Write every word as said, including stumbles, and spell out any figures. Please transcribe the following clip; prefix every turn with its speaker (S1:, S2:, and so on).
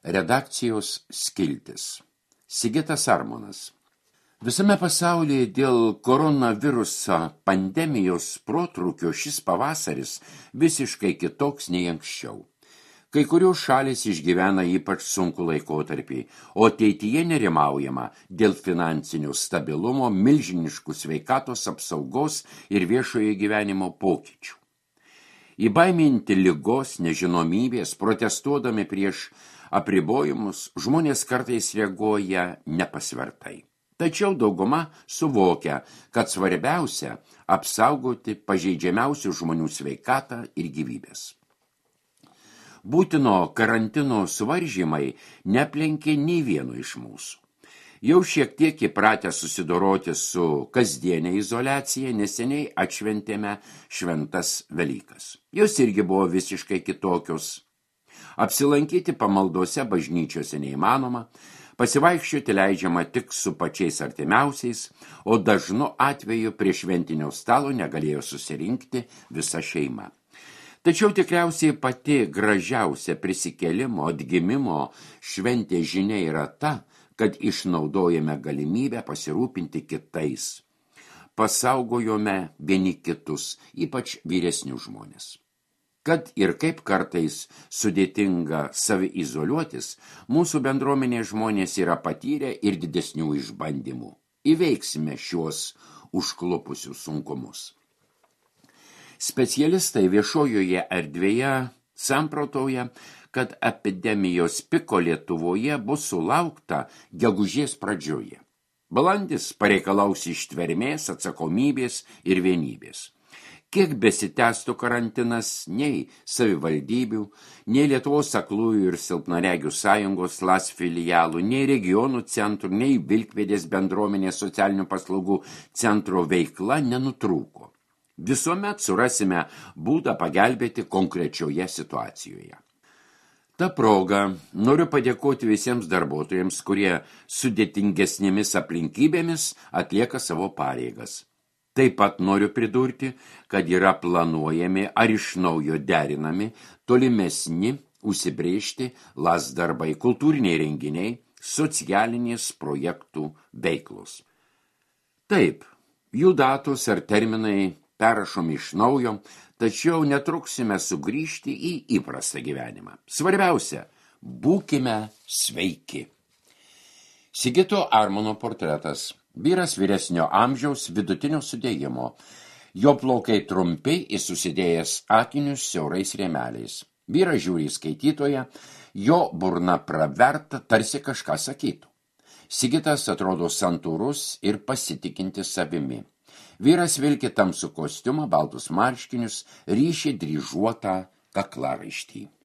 S1: Redakcijos skiltis. Sigitas Armonas. Visame pasaulyje dėl koronaviruso pandemijos protrūkio šis pavasaris visiškai kitoks nei anksčiau. Kai kurios šalys išgyvena ypač sunku laikotarpį, o ateityje nerimaujama dėl finansinio stabilumo, milžiniškų sveikatos apsaugos ir viešojo gyvenimo pokyčių. Įbaiminti ligos, nežinomybės, protestuodami prieš apribojimus, žmonės kartais reaguoja nepasvertai. Tačiau dauguma suvokia, kad svarbiausia apsaugoti pažeidžiamiausių žmonių sveikatą ir gyvybės. Būtino karantino suvaržymai neplenkė nei vieno iš mūsų. Jau šiek tiek įpratę susidoroti su kasdienė izoliacija, neseniai atšventėme šventas Velykas. Jos irgi buvo visiškai kitokios. Apsilankyti pamaldose bažnyčiose neįmanoma, pasivaikščioti leidžiama tik su pačiais artimiausiais, o dažnu atveju prie šventinio stalo negalėjo susirinkti visa šeima. Tačiau tikriausiai pati gražiausia prisikėlimo, atgimimo šventė žinia yra ta, kad išnaudojame galimybę pasirūpinti kitais. Pasaugojome vieni kitus, ypač vyresnius žmonės. Kad ir kaip kartais sudėtinga saviizoliuotis, mūsų bendruomenė žmonės yra patyrę ir didesnių išbandymų. Įveiksime šiuos užklupusius sunkumus. Specialistai viešojoje erdvėje samprotauja, kad epidemijos piko Lietuvoje bus sulaukta gegužės pradžioje. Balandis pareikalaus ištvermės, atsakomybės ir vienybės. Kiek besitęstų karantinas, nei savivaldybių, nei Lietuvos aklųjų ir silpnaregių sąjungos LAS filialų, nei regionų centrų, nei Vilkpėdės bendruomenės socialinių paslaugų centro veikla nenutrūko. Visuomet surasime būdą pagelbėti konkrečioje situacijoje. Ta proga noriu padėkoti visiems darbuotojams, kurie sudėtingesnėmis aplinkybėmis atlieka savo pareigas. Taip pat noriu pridurti, kad yra planuojami ar iš naujo derinami tolimesni užsibrėžti LAS darbai, kultūriniai renginiai, socialinės projektų veiklos. Taip, jų datos ar terminai perrašomi iš naujo, tačiau netruksime sugrįžti į įprastą gyvenimą. Svarbiausia, būkime sveiki. Sigito Armono portretas. Vyras vyresnio amžiaus vidutinio sudėjimo. Jo plaukai trumpi ir susidėjęs akinius siaurais rėmeliais. Vyras žiūri skaitytoją, jo burna praverta, tarsi kažką sakytų. Sigitas atrodo santūrus ir pasitikintis savimi. Vyras vilki tamsų kostiumą, baltus marškinius, ryšį dryžuotą kaklaraištį.